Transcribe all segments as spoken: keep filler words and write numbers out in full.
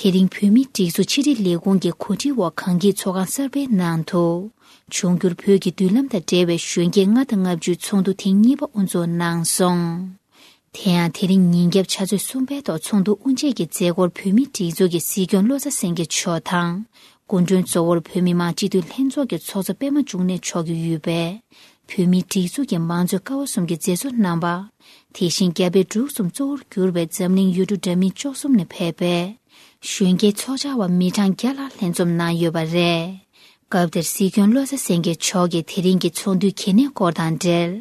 དེ་རིང་བོད་མིའི་སྒྲིག་འཛུགས་ཕྱི་དྲིལ་ལས་ཁུངས་ཀྱི་གོ་སྒྲིག་འོག་གངས་སྐྱིད་ཚོགས་ཁང་གསར་པའི་ནང་དུ། འབྱུང་འགྱུར་བོད་ཀྱི་མདུན་ལམ་དང་འབྲེལ་བའི་གཞོན་སྐྱེས་ལྔ་དང་ལྔ་བཅུའི་ཚོགས་འདུ་ཐེངས་གཉིས་པ་དབུ་འཛུགས་གནང་སོང་། དེ་ཡང་དེ་རིང་ཉིན་རྒྱབ་ཆུ་ཚོད་གསུམ་པའི་ཐོག་ཚོགས་འདུ་དབུ་འབྱེད་ཀྱི་མཛད་སྒོར་བོད་མིའི་སྒྲིག་འཛུགས་ཀྱི་སྲིད་སྐྱོང་བློ་བཟང་སེང་གེ་མཆོག་དང་། སྐུ་མགྲོན་གཙོ་བོར་བོད་མི་མང་སྤྱི་འཐུས་ལྷན་ཚོགས་ཀྱི་ཚོགས་གཙོ་པད་མ་འབྱུང་གནས་མཆོག་གིས་དབུས་པའི་བོད་མིའི་སྒྲིག་འཛུགས་ཀྱི་མང་གཙོའི་ཀ་བ་གསུམ་གྱི་མཛད་གཙོ་རྣམ་པ། དེ་བཞིན་རྒྱ་བལ་འབྲུག་གསུམ་གཙོ་བོར་གྱུར་པའི་འཛམ་གླིང་ཡུལ་གྲུ་འདྲ་མིན་བཅུ་གསུམ་ནས་ཕེབས་པའི་གཞོན་སྐྱེས་ཚོགས་བཅར་བ་མི་གྲངས་བརྒྱ་ལྷག་ལྷན་འཛོམས་གནང་ཡོད་པ་རེད། སྐབས་དེར་སྲིད་སྐྱོང་བློ་བཟང་སེང་གེ་མཆོག་གིས་དེ་རིང་གི་ཚོགས་འདུའི་གལ་གནད་སྐོར་དང་འབྲེལ།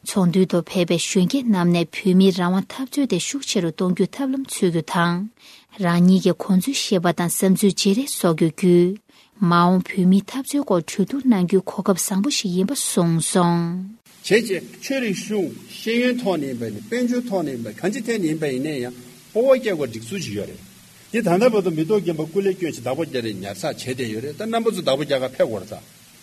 ཚོགས་འདུའི་ཐོག་ཕེབས་པའི་གཞོན་སྐྱེས་རྣམས་ནས་བོད་མིའི་རང་དབང་འཐབ་རྩོད་དེ་ཤུགས་ཆེ་རུ་གཏོང་རྒྱུའི་ཐབས་ལམ་འཚོལ་རྒྱུ་དང་། རང་ཉིད་ཀྱི་གོ་འཛོལ་ཤེས་པ་དང་བསམ་ཚུལ་བརྗེ་རེས་བཟོ་རྒྱུ་བརྒྱུད། མ་འོངས་བོད་མིའི་འཐབ་རྩོད་སྐོར་གྲོས་བསྡུར་གནང་རྒྱུའི་གོ་སྐབས་བཟང་པོ་ཞིག་ཡིན་པ་གསུངས་སོང་། བྱས་རྗེས་ཆོས་རིག་གཞུང་ཤེས་ཡོན་ཐོག་ནས་ཡིན་པ་ཡིན་ན། དཔལ་འབྱོར་ཐོག་ནས་ཡིན་པ། གང་ཅི་ཐད་ནས་ཡིན་པ་ཡིན་ན་ཡང་སྤོབས་པ་སྐྱེ་དགོས་སྒྲིག་འཛུགས་ཅིག་ཡོད་རེད། འདི་ད་ལྟ་བར་དུ་མི་ཐོག་རྒན་པ་སྐུ་ལས་བསྐྱོན་ཞིང་བདག་པོ་རྒྱག་རེས་ཉར་ཚགས་བྱས་བསྡད་ཡོད་རེད། ད་རྣམ་པ་ཚོ་བདག་པོ་རྒྱག་ག་ཕེབས་དགོས་རེད་ད།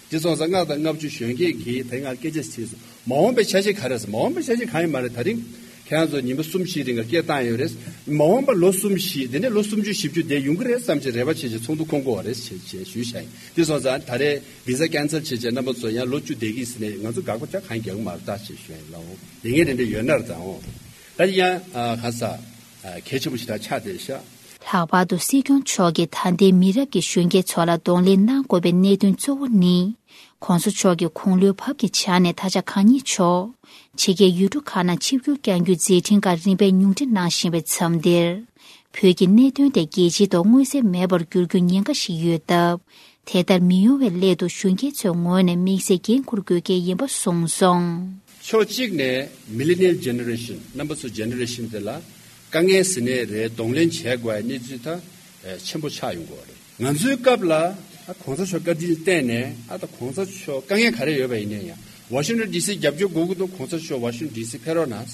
འདི་སོང་ཙང་ལྔ་དང་ལྔ་བཅུ་གཞོན་སྐྱེས་ཀྱིས་དེ་སྔར་སྐད་ཆ་དྲིས་སོང་། མ་འོངས་པའི་འཆར་གཞི་ག་རེ་རེད། མ་འོངས་པའི་འཆར་གཞི་གང་ཡིན་མ་རེད། ད་རིང་ཁྱེད་རང་ཚོ་ཉིན་པ་གསུམ་བཞི་རིང་ལ་སྐད་བཏང་ཡོད་རེད། མ་འོངས་པ་ལོ་གསུམ་བཞི། དེ་ནས་ལོ་སུམ་ཅུ་བཞི་བཅུ་བསྡད་ཡོང་གི་རེད་བསམ་བྱས་རེ་བ་བྱས་བྱས་ཚོགས་འདུ་འཁོད་དགོས་པ་རེད་ཅེས་ཞུས་བཞག་ཡིན། འདི་སོང་ཙང་ད་རེས་བི་ཟ་ཀན་སལ་བྱས་བྱས་རྣམ་པ་ཚོ་ཡང་ལོ་བཅུ་བསྡད་ཀྱི་ཟེར་ནས་ང་ཚོ་དགག་པ་ཅག་གང་རྒྱག་གི་མ་རེད་ད་ཅེས་ཞུ་ཡ་ཡིན། ལའོ་ལས་འགན་དེ་འདྲ་ཡོད་ན་རེད་ད། འོ་ད་ཡང་ཨ་ག་ས་ཨ་གལ་ཆེན་པོ་ཞིག་ད་ཆགས་བསྡད་ཤག་ལྷག་པར་དུ་སྲིད་སྐྱོང་མཆོག་གིས་ད་ལྟའི་མི་རབས་ཀྱི་གཞོན་སྐྱེས་ཚོ་ལ་གདོང་ལེན་གནང་དགོས་པའི་གནད་དོན་གཙོ་བོ་ནི། ྋགོང་ས་མཆོག་གི་དགུང་ལོའི་བབ་ཀྱི་ཆ་ནས་ད་ཆ་གང་ཉིད་ཆོག་ཕྱི་རྒྱལ་ཡུལ་གྲུ་ཁག་ནང་ཆིབས་བསྒྱུར་བསྐྱང་རྒྱུའི་མཛད་འཕྲིན་ཁག་རིམ་པས་ཉུང་འཕྲི་གནང་བཞིན་པའི་མཚམས་འདིར། བོད་ཀྱི་གནད་དོན་དེ་རྒྱལ་སྤྱིའི་ཐོག་མངོན་གསལ་མེད་པར་འགྱུར་རྒྱུའི་ཉེན་ཁ་ཞིག་ཡོད་སྟབས། དེ་ལྟར་མི་ཡོང་བའི་སླད་དུ་གཞོན་སྐྱེས་ཚོའི་ངོས་ནས་དམིགས་བསལ་འགན་འཁུར་དགོས་གལ་ཡིན་པ་གསུངས་སོང་། ཕྱོགས་གཅིག་ནས་Millennial Generation རྣམ་པ་ཚོ་ཇེ་ནེ་རེ་ཤན་དེ་ལ་དཀའ་ངལ་ཟེར་ནའི་རེད། གདོང་ལེན་བྱས་དགོས་པའི་གནས་ཚུལ་ད་ཆེན་པོ་ཆགས་ཡོང་གི་རེད། ང་ཚོའི་སྐབས་ལ་ཨ་གོང་ས་མཆོག་བཀའ་དྲིན་བརྟེན་ནས་ཨ་ད་གོང་ས་མཆོག་དཀའ་ངལ་ག་རེ་ཡོད་པ་ཡིན་ནའི་ཡང་ཝ་ཤིང་ཊོན་ཌི་སི་རྒྱབ་སྐྱོར་དགོས་ཀྱི་འདུག་གོང་ས་མཆོག་ཝ་ཤིང་ཊོན་ཌི་སི་ཕེབས་རོགས་གནང་།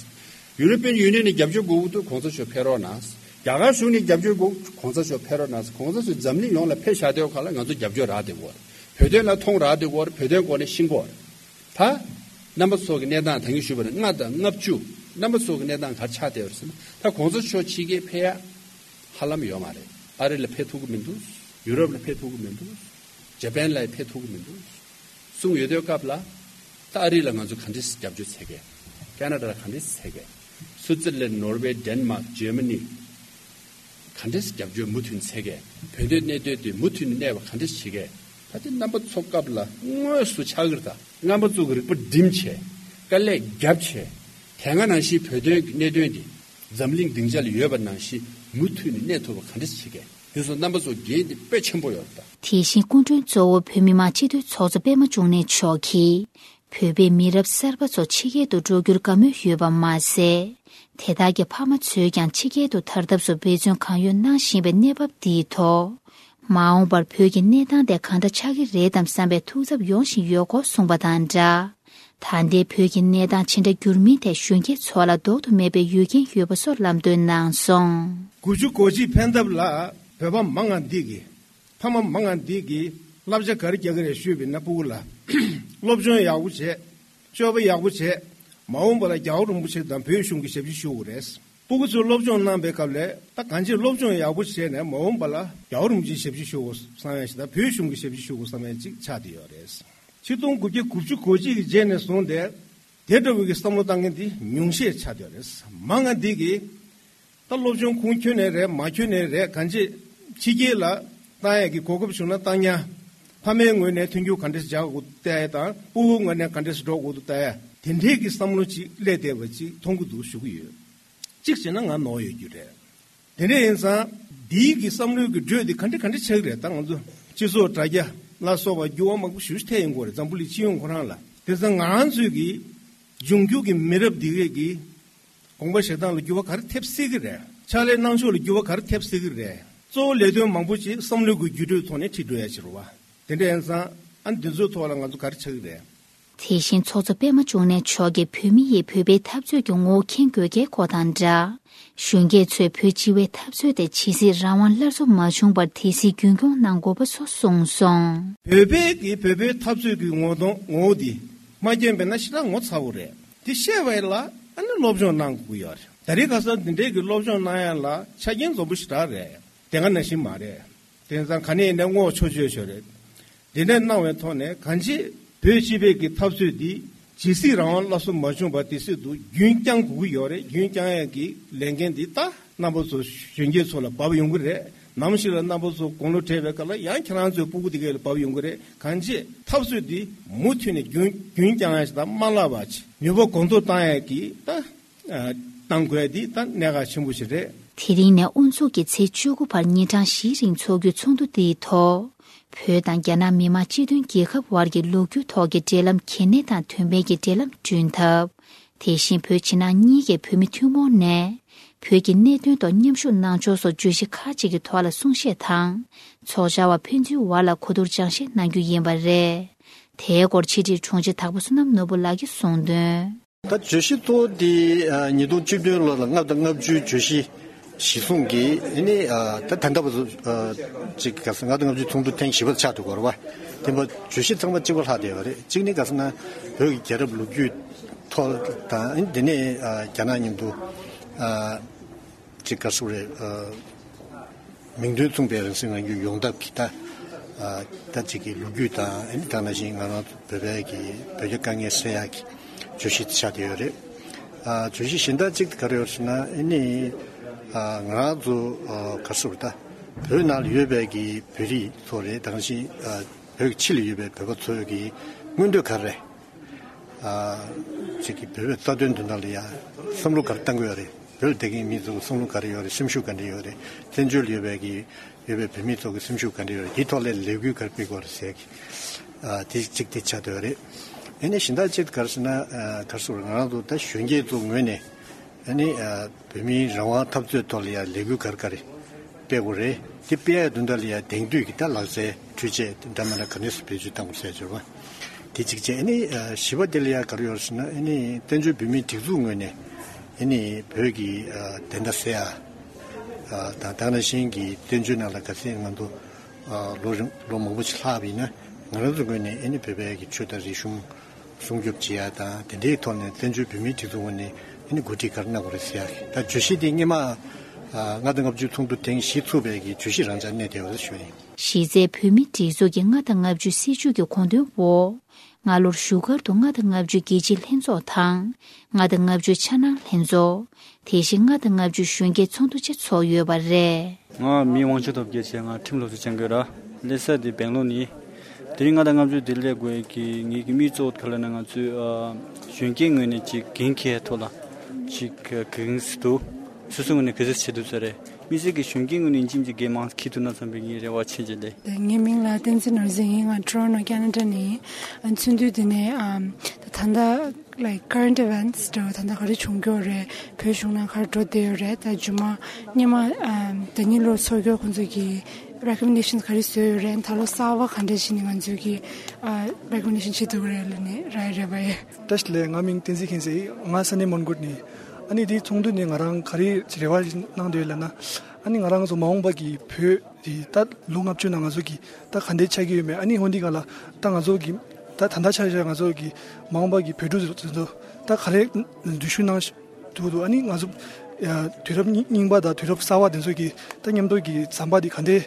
ཡུ་རོ་པི་ཡན་ཡུ་ནི་ཡན་ནས་རྒྱབ་སྐྱོར་དགོས་ཀྱི་འདུག་གོང་ས་མཆོག་ཕེབས་རོགས་གནང་། རྒྱ་གར་གཞུང་ནས་རྒྱབ་སྐྱོར་དགོས། གོང་ས་མཆོག་ཕེབས་རོགས་གནང་། གོང་ས་མཆོག་འཛམ་གླིང་ཡོངས་ལ་ཕེབས་བཞག་དུས་སྒང་ལ་ང་ཚོ་རྒྱབ་སྐྱོར་རག་བསྡད་ཡོད་རེད། བོད་དོན་ལ་མཐོང་རག་བསྡད་ཡོད་རེད། བོད་དོན་སྐོར་ནས་ཤེས་ཀྱི་ཡོད་རེད། ད་རྣམ་པ་ཚོ་གི་གནས་སྟངས་ད་གིན་ཞུས་པ་ནང་ལྔ་དང་ལྔ་བཅུ་རྣམ་པ་ཚོ་གི་གནས་སྟངས་ག་རེ་ཆགས་བསྡད་ཡོད་རེད་ཟེར་ན། ད་གོང་ས་མཆོག་ཕྱི་རྒྱལ་ཕེབས་ཡ་ཧ་ལམ་ཡོད་མ་རེད། ཨ་རི་ལ་ཕེབས་ཐུབ་ཀྱི་མི་འདུག་ཡུ་རོབ་ལ་ཕེབས་ཐུབ་ཀྱི་མི་འདུག་ཇ་པན་ལ་ཕེབས་ཐུབ་ཀྱི་མི་འདུག་གསུངས་ཡོད་དུས་སྐབས་ལ། ད་ཨ་རི་ལ་ང་ཚོ་ག་འདྲས་རྒྱབ་སྐྱོར་བྱེད་གས། ཁེ་ན་ཌ་ལ་ག་འདྲས་བྱེད་གས། སུའུ་ཙེར་ལན། ནོར་ཝེ། ཌེན་མཱག་ག་འདྲས་རྒྱབ་སྐྱོར་མུ་མཐུད་བྱེད་གས། བོད་དོན་གནད་དོན་དེ་མུ་མཐུད་ནས་གནས་པ་ག་འདྲས་བྱེད་གས། ད་དེ་རྣམ་པ་ཚོ་སྐབས་ལ་དངོས་སུ་ཆགས་ཀྱི་རེད་ད། རྣམ་པ་ཚོ་གི་རིག་པ་སྒྲིམ་བྱས། དཀའ་ལས་རྒྱབ་བྱས། དེ་སྔ་ནང་བཞིན་བོད་དོན་གྱི་གནད་དོན་དེ་འཛམ་གླིང་སྡིངས་ཆ་ལ་ཡོད་པ་ནང་བཞིན་མུ་མཐུད་ནས་གནས་ཐུབ་པ་ག་འདྲས་བྱེད་གས། དེ་ཚོ་རྣམ་པ་ཚོ་འགན་དེ་དཔེ་ཆེན་པོ་ཡོད་རེད་ད། དེ་བཞིན་སྐུ་མགྲོན་གཙོ་བོ་བོད་མི་མང་སྤྱི་འཐུས་ཚོགས་གཙོ་པད་མ་འབྱུང་གནས་མཆོག་གིས། བོད་པའི་མི་རབས་གསར་པ་ཚོ་ཕྱི་རྒྱལ་དུ་འགྲོ་རྒྱུར་དགའ་མོས་ཡོད་པ་མ་ཟད། དེ་དག་གི་ཕ་མ་ཚོས་ཀྱང་ཕྱི་རྒྱལ་དུ་དར་ཐབས་སུ་འབད་བརྩོན་གང་ཡོད་གནང་བཞིན་པའི་གནས་བབ་འདིའི་ཐོག་མ་འོངས་པར་བོད་ཀྱི་གནས་སྟངས་དེ་གང་འདྲ་ཆགས་ཀྱི་རེད་དམ་བསམ་པའི་ཐུགས་འཚབ་ཡོང་བཞིན་ཡོད་སྐོར་གསུངས་པ་དང་སྦྲགས། ད་ལྟའི་བོད་ཀྱི་གནས་སྟངས་ཇི་འདྲ་འགྱུར་མིན་ཐད་གཞོན་སྐྱེས་ཚོ་ལ་ལྡོག་ཏུ་མེད་པའི་ཡུལ་རྐྱེན་ཡོད་པ་སོགས་ལམ་སྟོན་གནང་སོང་། དགུ་བཅུ་གོ་གཅིག་ཕན་ཐབས་ལ་བོད་པ་མང་ང་འདི་གི་ཕ་མ་མང་ང་འདི་གིས་བསླབ་བྱ་ག་རེ་རྒྱག་གི་རེད་ཞུས་པ་ཡིན་ན། སྤུ་གུ་ལ་སློབ་སྦྱོང་ཡག་པོ་བྱས། སྤྱོད་པ་ཡག་པོ་བྱས། མ་འོངས་པ་ལ་རྒྱལ་བ་རིན་པོ་ཆེ་དང་བོད་གཞུང་གི་ཞབས་ཕྱི་ཞུ་དགོས་རེད། སྤུ་གུ་ཚོས་སློབ་སྦྱོང་གནང་པའི་སྐབས་ལ་ད་གང་ཅིར་སློབ་སྦྱོང་ཡག་པོ་བྱས་ནས་མ་འོངས་པ་ལ་རྒྱལ་བ་རིན་པོ་ཆེའི་ཞབས་ཕྱི་ཞུ་དགོས་བསམ་ཡ་ཞིག་དང་། བོད་གཞུང་གི་ཞབས་ཕྱི་ཞུ་དགོས་བསམ་ཡ་ཅིག་ཆགས་བསྡད་ཡོད་རེད། ཆིག་སྟོང་དགུ་བརྒྱ་དགུ་བཅུ་གོ་གཅིག་གི་རྗེས་ནས་བཟུང་སྟེ་དེ་འདྲ་བོ་གི་བསམ་བློ་བཏང་མཁན་འདི་ཉུང་ཤས་ཆགས་བསྡད་ཡོད་རེད། མང་ང་འདི་གིས། ད་སློབ་སྦྱོང་ཁུངས་འཁྱོལ་ནས་རེད། མ་འཁྱོལ་ནས་རེད། གང་ཅི། ཕྱི་རྒྱལ་ལ་བཏང་ཡས་ཀྱི་གོ་སྐབས་བྱུང་ན་བཏང་ཉག་ཕ་མའི་ངོས་ནས་མཐུན་འགྱུར་ག་འདྲས་བྱ་དགོས་བལྟ་ཡས་དང་། སྤུ་གུ་ངོས་ནས་ག་འདྲས་འགྲོ་དགོས་འདུག་བལྟ་ཡས། དེ་འདྲས་ཀྱི་བསམ་བློ་ཅིག་སླེབས་བསྡད་པ་ཅིག་མཐོང་གི་འདུག་ཞུ་གི་ཡོད། གཅིག་བྱས་ན་ང་ནོར་ཡོད་རྒྱུ་རེད། དེ་འདྲས་ཡིན་ཙང་། འདིའི་གི་བསམ་བློའི་གི་འགྲོས་འདི་ག་འདྲས་ག་འདྲས་ཆགས་ཀྱི་རེད། ད་ང་ཚོ་སྤྱི་ཚོགས་དྲ་རྒྱ་ལ་སོགས་པ་འགྱུར་བ་མང་པོ་ཞེ་པོ་ཅིག་ཐེབས་ཡོང་གི་རེད། འཛམ་བུ་གླིང་སྤྱི་ཡོངས་ཁོ་རང་ལ། དེ་ཙང་ང་རང་ཚོའི་གི་འབྱུང་འགྱུར་གྱི་མི་རབས་འདི་གས་ཀྱི་དགོངས་པ་བཞེས་སྟངས་ལ་འགྱུར་བ་ག་རེ་ཐེབས་སྲིད་ཀྱི་རེད། ཕྱག་ལས་གནང་ཕྱོགས་ལ་འགྱུར་བ་ག་རེ་ཐེབས་སྲིད་ཀྱི་རེད། གཙོ་བོ་ལས་དོན་མང་པོ་ཅིག་བསམ་བློའི་སྒོ་བརྒྱུད་སྤྲོད་ཐོག་ནས་ཁྲིད་འགྲོ་ཡ་ཅིག་རེད་བ། དེ་འདྲ་ཡིན་ཙང་ཨ་ནི་འདི་ཚོའི་ཐོག་ལ་ང་ཚོ་ག་རེ་ཆགས་ཀྱི་རེད། དེ་བཞིན་ཚོགས་གཙོ་པད་མ་འབྱུང་གནས་མཆོག་གིས་བོད་མི་ཡིས་བོད་པའི་འཐབ་རྩོད་ཀྱི་ངོ་བོ་མཁྱེན་དགོས་གལ་སྐོར་དང་སྦྲགས། གཞོན་སྐྱེས་ཚོས་བོད་སྤྱི་བའི་འཐབ་རྩོད་དེ་ཇི་སྲིད་རང་དབང་སླར་གསོ་མ་བྱུང་བར་དེ་སྲིད་རྒྱུན་འཁྱོངས་གནང་དགོས་པ་སོགས་གསུངས་སོང་། བོད་པའི་གི་བོད་པའི་འཐབ་རྩོད་ཀྱི་ངོ་གདོང་ངོ་བོ་འདི་མ་མཁྱེན་པས་ན་ཞེ་དྲག་ངོ་ཚ་བོ་རེད། དེ་ཤེས་པ་ལ་ཨ་ནི་སློབ་སྦྱོང་གནང་དགོས་ཀྱི་ཡོད་རེད། ད་རེས་ཁ་སང་འདི་འདྲའི་གི་སློབ་སྦྱོང་གནང་ཡ་ལ་ཆ་རྐྱེན་འཛོམས་པོ་ཞེ་དྲག་རེད། དེ་ག་ནང་བཞིན་མ་རེད། དེང་སང་ག་ནས་ཡིན་ན་བསྔོག་ཆོག་ཆོག་ཆོག་རེད། འདི་འདྲ་གནང་བའི་ཐོག་ནས་གང་ཅི་བོད་སྤྱི་པའི་གི་འཐབ་རྩོད་འདི་ཇི་སྲིད་རང་དབང་སླར་གསོ་མ་བྱུང་བར་དེ་སྲིད་དུ་རྒྱུན་བསྐྱང་དགོས་ཀྱི་ཡོད་རེད། རྒྱུན་བསྐྱང་ཡས་ཀྱི་ལས་འགན་འདི་ད་རྣམ་པ་ཚོ་གཞོན་སྐྱེས་ཚོ་ལ་བབས་ཡོང་གི་རེད། ནམ་ཞིག་ལ་རྣམ་པ་ཚོ་དགུང་ལོ་བགྲེས་པའི་སྐབས་ལ་ཡང་ཁྱེད་རང་ཚོའི་སྤུ་གུ་དེ་གས་ལ་བབས་ཡོང་གི་རེད། གང་ཅི་འཐབ་རྩོད་འདི་མུ་མཐུད་ནས་རྒྱུན་རྒྱུན་བསྐྱང་ཡས་དང་མ་བརླག་པ་བྱས་ནུས་པ་གོང་མཐོར་བཏང་ཡས་ཀྱི་ད་ཨ་བཏང་དགོས་ཡས་འདི་ད་གནད་འགག་ཆེན་པོ་ཞིག་རེད། དེ་རིང་ནས་དབུ་འཛུགས་ཀྱི་ཚེས་བཅུ་དགུ་བར་ཉིན་གྲངས་བཞིའི་རིང་འཚོགས་རྒྱུའི་ཚོགས་འདུ་འདིའི་ཐོག་བོད་དང་རྒྱ་ནག་མི་དམངས་སྤྱི་མཐུན་རྒྱལ་ཁབ་དབར་གྱི་ལོ་རྒྱུས་ཐོག་གི་འབྲེལ་ལམ་གལ་གནད་དང་དོན་ཕན་གྱི་འབྲེལ་ལམ་བསྐྲུན་ཐབས། དེ་བཞིན་བོད་ཕྱི་ནང་གཉིས་ཀའི་བོད་མི་ཐུན་མོང་ནས་བོད་ཀྱི་གནད་དོན་ཐོག་མཉམ་ཞུགས་གནང་ཕྱོགས་སོགས་བརྗོད་གཞི་ཁག་ཅིག་གི་ཐོག་ལ་གསུང་བཤད་དང་། ཚོགས་བཅར་བ་ཕན་ཚུན་བར་ལ་གོ་བསྡུར་སྦྱང་བཤད་གནང་རྒྱུ་ཡིན་པ་རེད། དེའི་སྐོར་ཕྱི་དྲིལ་དྲུང་ཆེ་དྭགས་པོ་བསོད་ནམས་ནོར་བུ་ལགས་ཀྱིས་གསུངས་དོན། ད་བརྗོད་གཞི་གཙོ་བོ་འདི་ཨ་ཉིས་སྟོང་བཅུ་བདུན་ལོ་ལ་ལྔ་བཅུ་ང་ལྔ་བཅུའི་བརྗོད་གཞི་གཞི་བཟུང་གིས་ཨ་ནི་ཨ་ད་ད་ལྟ་བར་དུ་ཨ་ཅིག་ག་ས་ལྔ་བཅུ་ང་ལྔ་བཅུའི་ཚོགས་འདུ་ཐེངས་བཞི་པ་ཆགས་འདུག་གོ་རེད་བ། དེ་འབའ་བརྗོད་གཞི་ཚང་མ་གཅིག་པ་ལྷག་བསྡད་ཡོད་རེད། གཅིག་ནི་ག་ས་ན་བོད་ཀྱི་རྒྱལ་རབས་ལོ་རྒྱུས་ཐོག་དང་ཨ་ནི་དེ་ནས་ཨ་རྒྱ་ནག་མཉམ་དུ་ཨ་ཅིག་ག་ས་རེད་ཨ། མིང་དོན་མཚུངས་པའི་རང་སྲིད་རང་སྐྱོང་ཡོང་ཐབས་ཀྱི་ད་ཨ་ད་ཅིག་གི་ལོ་རྒྱུས་དང་ཨ་ནི་ད་ནང་བཞིན་ང་རང་ཚོ་བོད་པའི་གི་བོད་རྒྱ་དཀའ་ངལ་སེལ་ཡག་གི་བརྗོད་གཞི་ཆགས་བསྡད་ཡོད་རེད། ཨ་བརྗོད་གཞི་གཞན་དག་ཅིག་ག་རེ་ཡོད་ཟེར་ན་ཨ་ནི་ཨ་ང་རང་ཚོ་ཨ་ག་སོགས་ད་བོད་ནང་ལ་ཡོད་པའི་གི་བོད་རིགས་ཚོ་རེད། ད་ག་ནང་བཞིན་ཨ་བོད་ཀྱི་ཕྱི་ལ་ཡོད་པའི་བོད་པ་ཚོའི་གི་མངོན་འདོད་ག་རེ་རེད། ཨ་ཅིག་གི་བོད་པའི་རྩ་དོན་དོན་དག་ལ་ཡ་བསམ་བློ་ག་རེ་བཏང་གི་ཡོད་རེད། བོད་ལ་བསྡད་མཁན་མི་ཚོ་གི་བསམ་བློ་ག་རེ་ཡོད་རེད། སེམས་ཤུགས་ག་འདྲ་ཡོད་རེད། བཙན་བྱོལ་ལ་ཡོད་པའི་གི་ཡོད་པའི་བོད་མི་ཚོ་གི་སེམས་ཤུགས་ག་འདྲ་ཡོད་རེད། དེའི་ཐོག་ལ་ལས་འགུལ་ག་རེ་སྤེལ་དགོས་རེད་ཟེར་གི་ཨ་དེ་གཅིག་དེ་ཆགས་བསྡད་ཡོད་རེད། ཨ་ནི་གཞན་དག་ཅིག་ག་རེ་ཟེར་ན་ཨ་ག་རེ་ཟེར་ང་རང་ཚོ་ད་གཞོན་སྐྱེས་ཚོ་ངོས་ནས་ཨ་ནི་ཨ་བོད་མིའི་རང་དབང་འཐབ་རྩོད་ཐོག་ལ་ཡ་ལས་འགུལ་ག་རེ་ག་རེ་སྤེལ་དགོས་རེད། དེ་སྤེལ་ཡ་དོན་དག་ལ་ཡ་དེང་དུས་ཀྱི་ད་ལག་རྩལ་འཕྲུལ་ཆས་འདྲ་མི་འདྲ་ག་འདྲས་སེ་བེད་སྤྱོད་བཏང་དགོས་ཟེར་བརྗོད་པ། དེ་གཅིག་བྱས། ཨ་ནི་ཨ་བཞི་པ་དེ་ལ་ཡ་ག་རེ་ཡོད་ཟེར་ན་ཨ་ནི་བཙན་བྱོལ་བོད་མིའི་སྒྲིག་འཛུགས་ངོས་ནས་ཨ་ནི་བོད་ཀྱི་ཨ་བདེན་མཐའ་གསལ་ཡ་ཨ་དང་ད་ག་ནང་བཞིན་གྱི་བཙན་བྱོལ་ནང་ལ་ག་ཚད་ང་ཚོ་ཨ་ལོ་རིང་ལོ་མང་པོ་ཞིག་ལྷག་པ་ཡིན་ན་ང་རང་ཚོ་ངོས་ནས་ཨ་ནི་བོད་པའི་གི་ཆོས་དང་རིག་གཞུང་སྲུང་སྐྱོབ་བྱེད་ཡ་དང་དེ་འདྲའི་ཐོག་ནས་བཙན་བྱོལ་བོད་མིའི་སྒྲིག་འཛུགས་ངོས་ནས་ཨ་ནི་འགོ་ཁྲིད་ག་རེ་གནང་དགོས་རེད་ཟེར་ཡ་ད་བརྗོད་གཞི་དེ་སྔོན་མ་ཨ་ལྔ་བཅུ་ང་ལྔ་བཅུ་ཚོགས་འདུ་ཐེངས་བཞི་ཚུགས་པའི་གི་བརྗོད་གཞི་རང་འཇགས་གནས་བསྡད་ཡོད་རེད་ཞུ་ཡིན། གཞི་རྩའི་བོད་མིའི་སྒྲིག་འཛུགས་ཀྱི་ལྔ་དང་ལྔ་བཅུའི་སྲིད་བྱུས་ཀྱི་དགོངས་དོན་འོག་སྔ་ལོར་བཞུགས་སྒར་དུ་ལྔ་དང་ལྔ་བཅུའི་རྒྱལ་སྤྱིའི་ལྷན་ཚོགས་དང་། ལྔ་དང་ལྔ་བཅུའི་འཆར་སྣང་ལྷན་ཚོགས། དེ་བཞིན་ལྔ་དང་ལྔ་བཅུའི་གཞོན་སྐྱེས་ཚོགས་འདུ་བཅས་ཚོགས་ཡོད་པ་རེད། ང་མིང་དབང་ཆེན་སྟོབས་རྒྱལ་བྱས། ང་ཁྲིམས་སློབ་གསོ་སྦྱང་གི་ཡོད་ར། སླེབས་ས་དེ་སྦེང་ལོར་ནི། དེ་རིང་ལྔ་དང་ལྔ་བཅུ་དེ་སླེབས་དགོས་ཀྱི་ངེད་ཀྱི་དམིགས་གཙོ་བོ་ག་རེ་ལབ་ན་ང་ཚོའི་ཨ་གཞོན་སྐྱེས་ངོས་ནས་ཅིག་འགན་འཁྱེར་ཐོག་ལ་ཅིག་གང་ཟེར་འདུག་སོ་སོ་ངོས་ནས་ག་ཚོད་བྱེད་ཐུབ་ས་རེད། དམིགས་བསལ་གྱི་གཞོན་སྐྱེས་ངོས་ནས་ཅིག་ཅིག་འགན་མང་འཁྱེར་ཐུབ་ན་བསམ་པའི་ངའི་རེ་བ་ཆེ་ཆེ་ལས། ངའི་མིང་ལ་བསྟན་འཛིན་ནོར་འཛིན་ཡིན། ང་ཊོ་རོན་ཊོ་ཁེ་ན་ཌ་ནས་ཡིན། ཨ་ཚོགས་འདུ་འདི་ནས་ཨམ་ད་ད་ལྟ་like current events འདྲ་བོ་ད་ལྟ་ག་རེ་བྱུང་གི་ཡོད་རེད། བོད་གཞུང་ནང་ག་རེ་འགྲོ་བསྡད་ཡོད་རེད། ད་རྗེས་མ་སྔོན་མ་ཨམ་ཟླ་ཉིན་ལོར་ཚོགས་རྒྱུ་ཁོང་ཚོ་གི་recommendations ག་རེ་བཟོས་ཡོད་རེད། ད་ལོ་གསར་པ་ག་འདྲ་ཞིག་ནས་ང་ཚོས་ཀྱི་ཨ་recommendation བྱེད་ཐུབ་ཀྱི་རེད་ལབ་ནས་རག་ཡོད་རེད་པ་ཡ། བཀྲ་ཤིས་བདེ་ལེགས། ང་མིང་བསྟན་འཛིན་མཁྱེན་བརྩེ་ཡིན། ང་ས་གནས་མོན་གྷོ་ནས་ཡིན། ཨ་ནི་དེའི་ཚོགས་འདུ་ནས་ང་རང་ག་རེ་རེ་བ་གནང་བསྡད་ཡོད་ལབ་ན། ཨ་ནི་ང་རང་ཚོ་མ་འོངས་པ་གི་བོད་དེ་ད་ལོ་ལྔ་བཅུ་ནང་ང་ཚོ་གི་ད་ག་འདྲ་ཆགས་ཀྱི་ཡོད་མེད། ཨ་ནི་འོན་ཏེ་ག་ལ་ད་ང་ཚོ་གི་ད་ད་ལྟ་ཆགས་ཆགས་ང་ཚོ་གི་མ་འོངས་པ་གི་བོད་ཕྲུག་ཚོ་ད་ག་རེ་འཛུལ་ཞུགས་གནང་ཐུབ་འདུག་ཨ་ནི་ང་ཚོ་ཡ་དུས་རབས་རྙིང་རྙིང་པ་དང་དུས་རབས་གསར་པ་དེ་ཚོ་གི་ད་མཉམ་དུ་གི་ཟམ་པ་དེ་ག་འདྲ་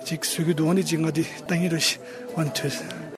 ཅིག་བཟོ་གི་འདུག་ཨ་ནི་ཅིག་ང་དེ་ལྟ་གིན་རེད་ཤི་ཝན་ཐུ།